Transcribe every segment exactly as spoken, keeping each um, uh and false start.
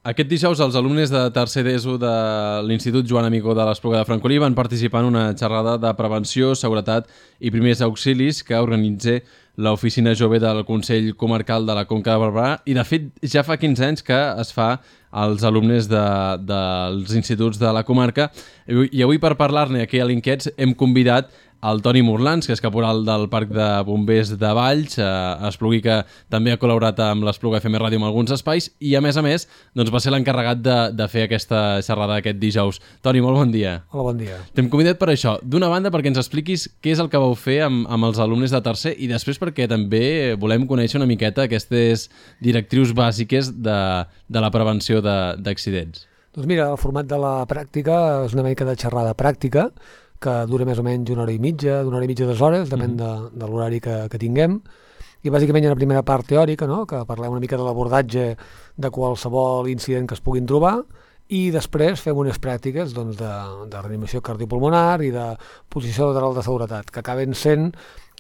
Aquest dijous els alumnes de tercer d'ESO de l'Institut Joan Amigó de l'Espluga de Francolí van participar en una xerrada de prevenció, seguretat i primers auxilis que organitza l'Oficina Jove del Consell Comarcal de la Conca de Barberà i, de fet, ja fa quinze anys que es fa als alumnes de, dels instituts de la comarca. I avui, per parlar-ne aquí a l'Inquiets, hem convidat el Toni Morlans, que és caporal del Parc de Bombers de Valls, a Espluguí, que també ha col·laborat amb l'Espluga F M Ràdio en alguns espais, i a més a més doncs va ser l'encarregat de, de fer aquesta xerrada aquest dijous. Toni, molt bon dia. Hola, bon dia. T'hem convidat per això. D'una banda, perquè ens expliquis què és el que vau fer amb, amb els alumnes de tercer, i després perquè també volem conèixer una miqueta aquestes directrius bàsiques de, de la prevenció d'accidents. Doncs mira, el format de la pràctica és una mica de xerrada pràctica, que dura més o menys una hora i mitja, d'una hora i mitja a dues hores, depèn de, de l'horari que, que tinguem. I bàsicament hi ha una primera part teòrica, no?, que parlem una mica de l'abordatge de qualsevol incident que es puguin trobar, i després fem unes pràctiques doncs, de, de reanimació cardiopulmonar i de posició lateral de seguretat, que acaben sent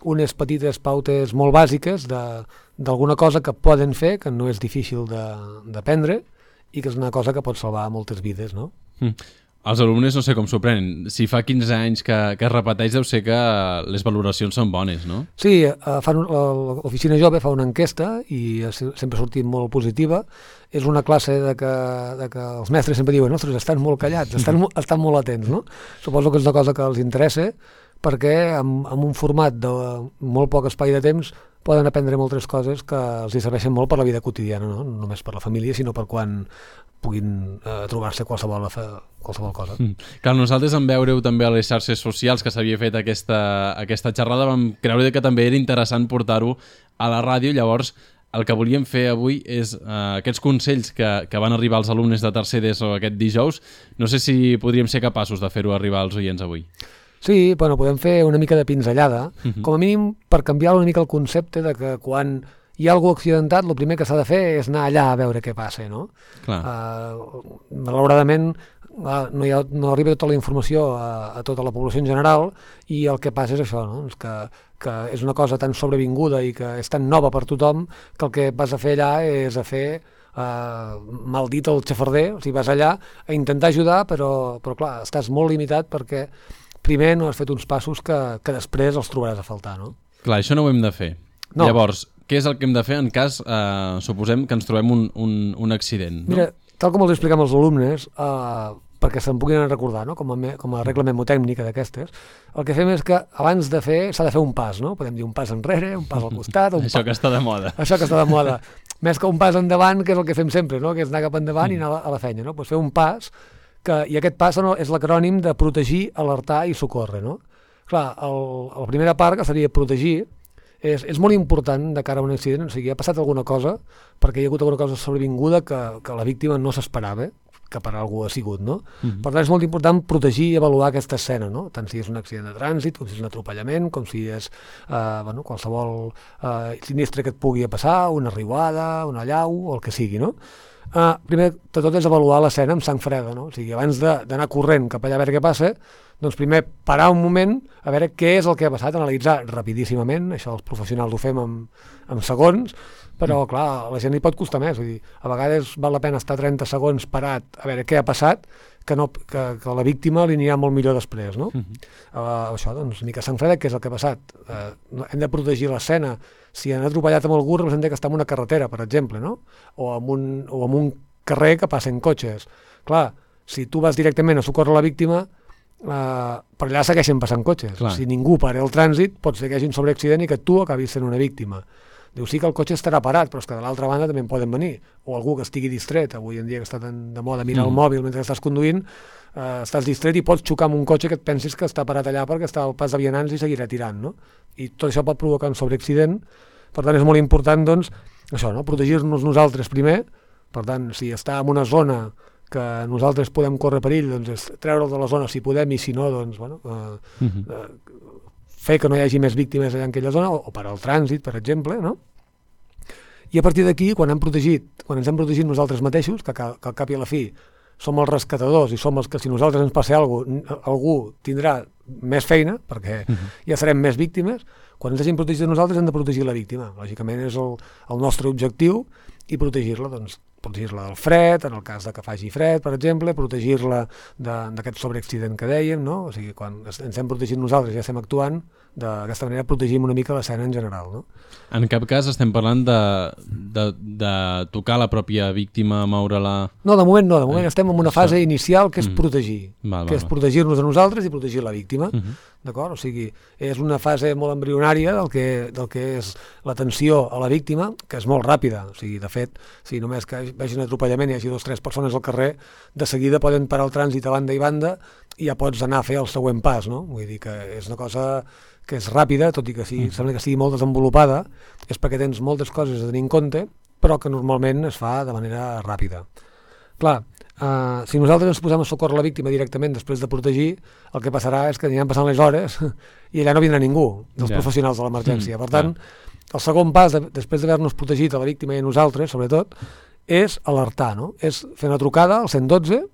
unes petites pautes molt bàsiques d'alguna cosa que poden fer, que no és difícil d'aprendre, i que és una cosa que pot salvar moltes vides, no? Mm. Els alumnes no sé com s'ho prenen. Si fa quinze anys que, que es repeteix, deu ser que les valoracions són bones, no? Sí, l'Oficina Jove fa una enquesta i sempre ha sortit molt positiva. És una classe de que, de que els mestres sempre diuen ostres, estan molt callats, estan, estan molt atents, no? Suposo que és una cosa que els interessa perquè amb, amb un format de molt poc espai de temps poden aprendre moltes coses que els serveixen molt per la vida quotidiana, no? No només per la família, sinó per quan puguin eh, trobar-se qualsevol, qualsevol cosa. Mm. Clar, nosaltres en veure-ho també a les xarxes socials que s'havia fet aquesta, aquesta xerrada vam creure que també era interessant portar-ho a la ràdio. Llavors el que volíem fer avui és eh, aquests consells que, que van arribar als alumnes de tercer d'ESO aquest dijous. No sé si podríem ser capaços de fer-ho arribar als oients avui. Sí, bueno, podem fer una mica de pinzellada, uh-huh. Com a mínim per canviar una mica el concepte de que quan hi ha algú accidentat, el primer que s'ha de fer és anar allà a veure què passa, no? Clar. Uh, malauradament uh, no, hi ha, no arriba tota la informació a, a tota la població en general i el que passa és això, no? És que, que és una cosa tan sobrevinguda i que és tan nova per tothom que el que vas a fer allà és a fer uh, mal dit el xafarder, o sigui, vas allà a intentar ajudar, però, però clar, estàs molt limitat perquè primer no has fet uns passos que, que després els trobaràs a faltar, no? Clar, això no ho hem de fer. No. Llavors, què és el que hem de fer en cas, eh, suposem, que ens trobem un, un, un accident? No? Mira, tal com els expliquem als alumnes, eh, perquè se'n puguin recordar, no? com, a me, com a regla memotècnica d'aquestes, el que fem és que abans de fer s'ha de fer un pas, no? Podem dir un pas enrere, un pas al costat... Un Això pas... que està de moda. Això que està de moda. Més que un pas endavant, que és el que fem sempre, no? Que és anar cap endavant mm. i anar a la, a la feina, no? Pues fer un pas, que, i aquest pas no, és l'acrònim de protegir, alertar i socórrer, no? Clar, el, la primera part, que seria protegir, és, és molt important de cara a un accident, o sigui, ha passat alguna cosa, perquè hi ha hagut alguna cosa sobrevinguda que, que la víctima no s'esperava, que per algú ha sigut, no? Uh-huh. Per tant, és molt important protegir i avaluar aquesta escena, no? Tant si és un accident de trànsit, com si és un atropellament, com si és eh, bueno, qualsevol eh, sinistre que et pugui passar, una riuada, una allau, o el que sigui, no? Uh, primer de tot és avaluar l'escena amb sang freda, no? O sigui, abans d'anar corrent cap allà a veure què passa, doncs primer parar un moment a veure què és el que ha passat, analitzar rapidíssimament, això els professionals ho fem en, en segons, però clar, a la gent li pot costar més, vull dir, a vegades val la pena estar trenta segons parat a veure què ha passat, que, no, que, que a la víctima li anirà molt millor després, no? Uh-huh. uh, això, doncs, una mica sang freda, què és el que ha passat? Uh, hem de protegir l'escena. Si han atropellat amb algú, representa que està en una carretera, per exemple, no? O en un, o en un carrer que passen cotxes. Clar, si tu vas directament a socórrer la víctima, uh, per allà segueixen passant cotxes. Clar. Si ningú para el trànsit, pot ser que hi hagi un sobreaccident i que tu acabis sent una víctima. Diu, sí que el cotxe estarà parat, però és que de l'altra banda també en poden venir. O algú que estigui distret, avui en dia que està tan de moda mirar mm. el mòbil mentre estàs conduint, eh, estàs distret i pots xocar amb un cotxe que et pensis que està parat allà perquè està al pas de vianants i seguirà tirant, no? I tot això pot provocar un sobreaccident. Per tant, és molt important, doncs, això, no? Protegir-nos nosaltres primer. Per tant, si està en una zona que nosaltres podem córrer perill, doncs és treure'l de la zona si podem, i si no, doncs, bueno, eh, mm-hmm. eh, fer que no hi hagi més víctimes allà en aquella zona, o, o per al trànsit, per exemple, no? I a partir d'aquí, quan hem protegit, quan ens hem protegit nosaltres mateixos, que, que, que al cap i a la fi som els rescatadors i som els que si nosaltres ens passa alguna cosa, algú tindrà més feina, perquè uh-huh. ja serem més víctimes, quan ens hagin protegit nosaltres hem de protegir la víctima. Lògicament és el, el nostre objectiu, i protegir-la, doncs, protegir-la del fred, en el cas de que faci fred, per exemple, protegir-la d'aquest sobreaccident que dèiem, no? O sigui, quan ens hem protegit nosaltres i ja estem actuant, d'aquesta manera protegim una mica l'escena en general, no? En cap cas estem parlant de, de, de tocar la pròpia víctima, moure-la... No, de moment no, de moment eh, estem en una fase inicial que és mm. protegir, val, val, que és val. protegir-nos a nosaltres i protegir la víctima. Uh -huh. D'acord? O sigui, és una fase molt embrionària del que, del que és l'atenció a la víctima, que és molt ràpida. O sigui, de fet, si només que vegi un atropellament i hi hagi dos o tres persones al carrer, de seguida poden parar el trànsit a banda i banda i ja pots anar a fer el següent pas, no? Vull dir que és una cosa que és ràpida, tot i que sí, sembla que sigui molt desenvolupada, és perquè tens moltes coses a tenir en compte, però que normalment es fa de manera ràpida. Clar, Uh, si nosaltres ens posem a socórrer la víctima directament després de protegir, el que passarà és que aniran passant les hores i allà no vindrà ningú dels yeah. professionals de l'emergència. Mm, per tant, yeah. el segon pas, de, després d'haver-nos protegit a la víctima i a nosaltres, sobretot, és alertar, no? És fer una trucada al cent dotze,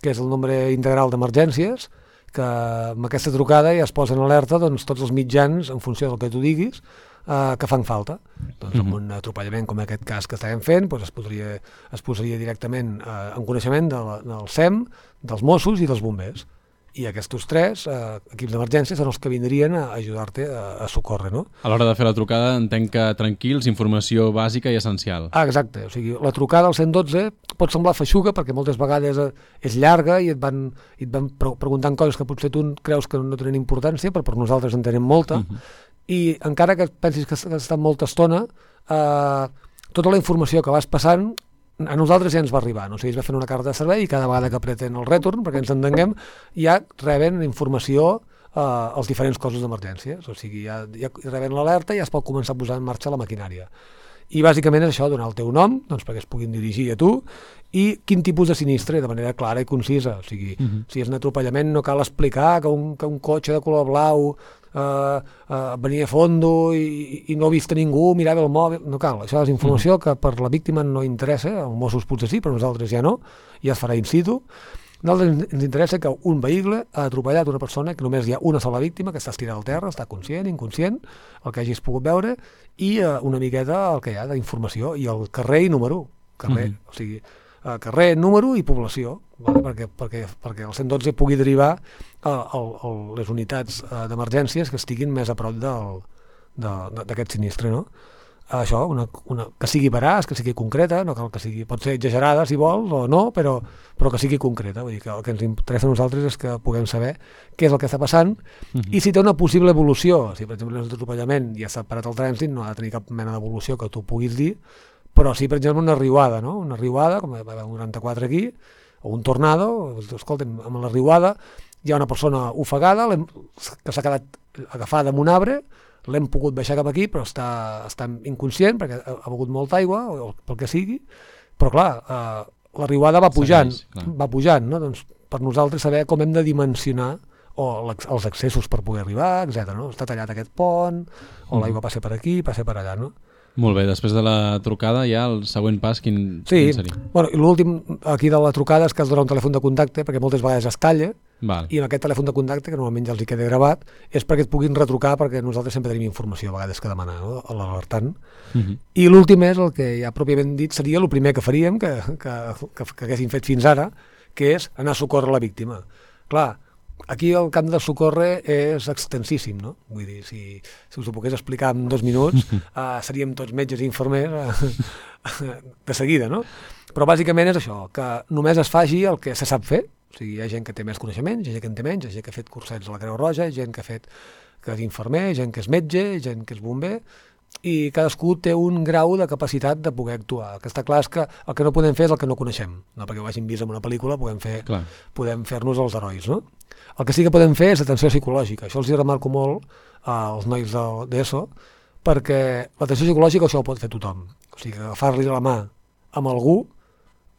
que és el nombre integral d'emergències, que amb aquesta trucada ja es posa en alerta doncs, tots els mitjans, en funció del que tu diguis, Uh, que fan falta. Doncs amb un atropellament com aquest cas que estàvem fent, doncs es, podria, es posaria directament uh, en coneixement de la, del S E M, dels Mossos i dels bombers. I aquests tres uh, equips d'emergència són els que vindrien a ajudar-te a, a socórrer, no? A l'hora de fer la trucada entenc que tranquils, informació bàsica i essencial. Ah, exacte. O sigui, la trucada al cent dotze pot semblar feixuga perquè moltes vegades és llarga i et van, i et van preguntant coses que potser tu creus que no tenen importància, però per nosaltres en tenim molta. Uh-huh. I encara que pensis que has estat molta estona, eh, tota la informació que vas passant a nosaltres ja ens va arribar. No? O sigui, es va fer una carta de servei i cada vegada que apreten el retorn, perquè ens entenguem, ja reben informació eh, als diferents cossos d'emergències. O sigui, ja, ja reben l'alerta i ja es pot començar a posar en marxa la maquinària. I bàsicament és això, donar el teu nom, doncs perquè es puguin dirigir a tu, i quin tipus de sinistre, de manera clara i concisa. O sigui, uh-huh. si és un atropellament no cal explicar que un, que un cotxe de color blau Uh, uh, venia a fondo i, i no ha vist ningú, mirava el mòbil, no cal, això és informació mm. que per la víctima no interessa, els Mossos potser sí, però nosaltres ja no, ja es farà in situ. A nosaltres ens interessa que un vehicle ha atropellat una persona, que només hi ha una sola víctima, que està estirada al terra, està conscient, inconscient, el que hagis pogut veure, i uh, una miqueta el que hi ha d'informació, i el carrer i número, carrer, mm. o sigui, uh, carrer, número i població, vale? perquè, perquè, perquè el cent dotze pugui derivar a, a, a les unitats uh, d'emergències que estiguin més a prop d'aquest sinistre, no? Això, una, una, que sigui veraç, que sigui concreta, no cal que sigui, pot ser exagerada si vols o no, però, però que sigui concreta. Vull dir que el que ens interessa a nosaltres és que puguem saber què és el que està passant uh-huh. i si té una possible evolució. Si per exemple és un atropellament i ja s'ha parat el trànsit, no ha de tenir cap mena d'evolució que tu puguis dir, però sí, per exemple, una riuada, no? Una riuada, com va haver un noranta-quatre aquí, o un tornado, escolta'm, amb la riuada hi ha una persona ofegada que s'ha quedat agafada amb un arbre, l'hem pogut baixar cap aquí, però està, està inconscient perquè ha, ha begut molta aigua, o pel que sigui, però clar, eh, la riuada va pujant, Segueix, va pujant, no? Doncs per nosaltres saber com hem de dimensionar o els accessos per poder arribar, etcètera. No? Està tallat aquest pont, o l'aigua passa per aquí, passa per allà, no? Molt bé, després de la trucada ja el següent pas quin, sí, quin seria? Bueno, i l'últim aquí de la trucada és que has de donar un telèfon de contacte perquè moltes vegades es talla. Val. I amb aquest telèfon de contacte, que normalment ja els hi queda gravat, és perquè et puguin retrucar, perquè nosaltres sempre tenim informació a vegades que demanar, no? A l'alertant. Uh-huh. I l'últim és el que ja pròpiament dit seria el primer que faríem, que, que, que, que haguéssim fet fins ara, que és anar a socórrer la víctima. Clar, aquí el camp de socórrer és extensíssim, no? Vull dir, si, si us ho pogués explicar en dos minuts, uh, seríem tots metges i infermers uh, de seguida, no? Però bàsicament és això, que només es faci el que se sap fer. O sigui, hi ha gent que té més coneixements, hi ha gent que en té menys, hi ha gent que ha fet cursets a la Creu Roja, hi ha gent que ha fet que és infermer, gent que és metge, gent que és bomber, i cadascú té un grau de capacitat de poder actuar. El que està clar és que el que no podem fer és el que no coneixem, no perquè ho hagin vist en una pel·lícula, podem fer, podem fer-nos els herois, no? El que sí que podem fer és atenció psicològica. Això els hi remarco molt als nois d'ESO, perquè l'atenció psicològica això ho pot fer tothom. O sigui, agafar-li la mà amb algú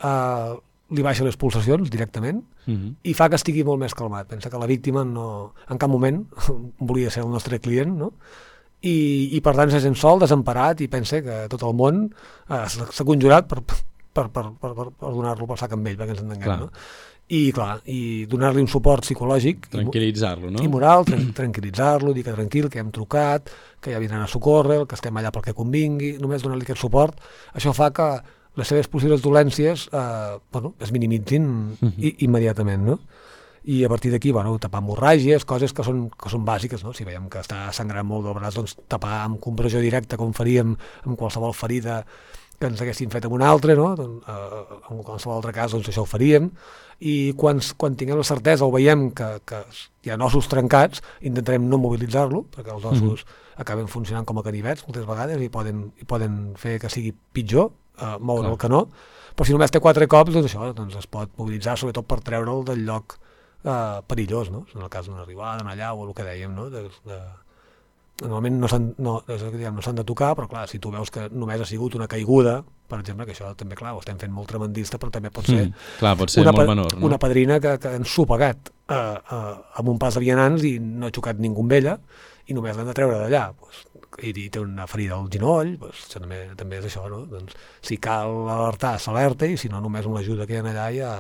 eh, li baixa les pulsacions directament uh-huh. i fa que estigui molt més calmat. Pensa que la víctima no, en cap moment volia ser el nostre client, no? I, i per tant se sent sol, desemparat, i pensa que tot el món eh, s'ha conjurat per, per, per, per, per donar-lo pel sac amb ell, perquè ens entenguem, no? I clar, i donar-li un suport psicològic tranquil·litzar-lo, no? I moral, tran tranquil·litzar-lo, dir que tranquil, que hem trucat, que ja vindran a socórrer, que estem allà pel que convingui, només donar-li aquest suport. Això fa que les seves possibles dolències eh, bueno, es minimitzin uh-huh. i, immediatament, no? I a partir d'aquí, bueno, tapar hemorràgies, coses que són, que són bàsiques, no? Si veiem que està sangrant molt del braç, doncs tapar amb compressió directa, com faríem amb qualsevol ferida que ens haguessin fet amb un altre, no? Doncs, eh, en qualsevol altre cas, doncs això ho faríem. I quan, quan tinguem la certesa o veiem que, que hi ha ossos trencats, intentarem no mobilitzar-lo, perquè els ossos mm-hmm. acaben funcionant com a canivets moltes vegades i poden, i poden fer que sigui pitjor, eh, moure Clar. el canó. Però si només té quatre cops, doncs això doncs es pot mobilitzar, sobretot per treure'l del lloc eh, perillós, no? En el cas d'una arribada, d'una llau o el que dèiem, no? De, de, normalment no s'han no, no s'han de tocar, però clar, si tu veus que només ha sigut una caiguda, per exemple, que això també, clar, ho estem fent molt tremendista, però també pot ser, mm, clar, pot ser una, molt menor, no? una padrina que, que ens s'ho ha pagat eh, eh, amb un pas de vianants i no ha xocat ningú amb ella i només l'han de treure d'allà, pues, i, i té una ferida al genoll, pues, això també, també és això, no? Doncs, si cal alertar, s'alerta, i si no, només amb l'ajuda que hi ha allà ja,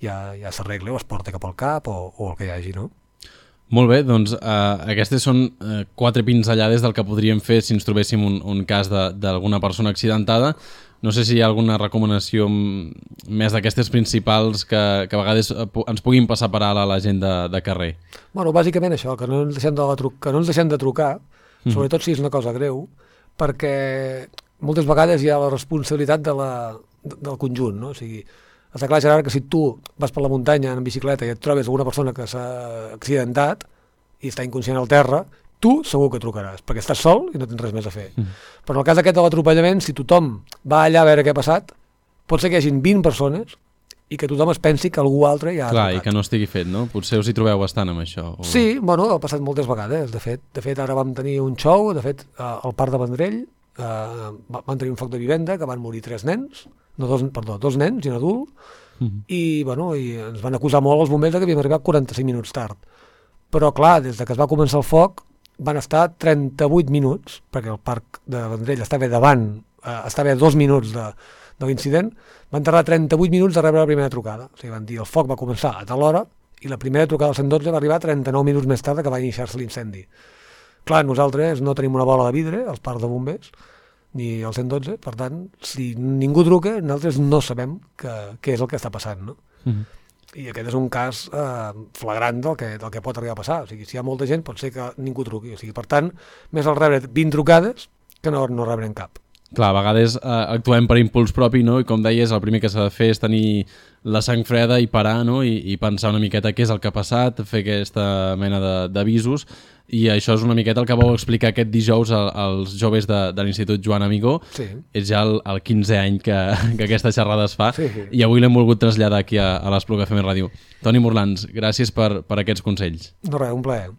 ja, ja s'arregla o es porta cap al cap o, o el que hi hagi, no? Molt bé, doncs eh, aquestes són eh, quatre pinzellades del que podríem fer si ens trobéssim un, un cas d'alguna persona accidentada. No sé si hi ha alguna recomanació més d'aquestes principals que, que a vegades ens puguin passar per alt a la gent de, de carrer. Bueno, bàsicament això, que no ens deixem de, tru que no ens deixem de trucar, mm. sobretot si és una cosa greu, perquè moltes vegades hi ha la responsabilitat de la, de, del conjunt, no? O sigui, està clar, Gerard, que si tu vas per la muntanya en bicicleta i et trobes alguna persona que s'ha accidentat i està inconscient al terra, tu segur que trucaràs, perquè estàs sol i no tens res més a fer. Mm. Però en el cas aquest de l'atropellament, si tothom va allà a veure què ha passat, pot ser que hi hagin vint persones i que tothom es pensi que algú altre ja ha Clar, trucat. I que no estigui fet, no? Potser us hi trobeu bastant amb això. O... Sí, bueno, ha passat moltes vegades. De fet, de fet ara vam tenir un show, de fet, al Parc de Vendrell, eh, van tenir un foc de vivenda que van morir tres nens, no dos, perdó, dos nens i un adult, mm-hmm. i, bueno, i ens van acusar molt els bombers que havíem arribat quaranta-cinc minuts tard. Però, clar, des de que es va començar el foc, van estar trenta-vuit minuts, perquè el Parc de Vendrell estava davant, eh, estava a dos minuts de, de l'incident, van tardar trenta-vuit minuts de rebre la primera trucada. O sigui, van dir, el foc va començar a tal hora, i la primera trucada al cent dotze va arribar trenta-nou minuts més tard que va iniciar-se l'incendi. Clar, nosaltres no tenim una bola de vidre als parcs de bombers, ni al cent dotze, per tant, si ningú truca, nosaltres no sabem què és el que està passant, no? Mm-hmm. I aquest és un cas eh, flagrant del que, del que pot arribar a passar. O sigui, si hi ha molta gent, pot ser que ningú truqui. O sigui, per tant, més al rebre vint trucades que no, no rebrem cap. Clar, a vegades eh, actuem per impuls propi, no? I com deies, el primer que s'ha de fer és tenir la sang freda i parar, no? I, i pensar una miqueta què és el que ha passat, fer aquesta mena d'avisos. I això és una miqueta el que vau explicar aquest dijous als joves de, de l'Institut Joan Amigó. Sí. És ja el, el quinzè any que, que aquesta xerrada es fa, sí, sí. I avui l'hem volgut traslladar aquí a, a l'Espluga F M Ràdio. Toni Morlans, gràcies per, per aquests consells. No res, un plaer.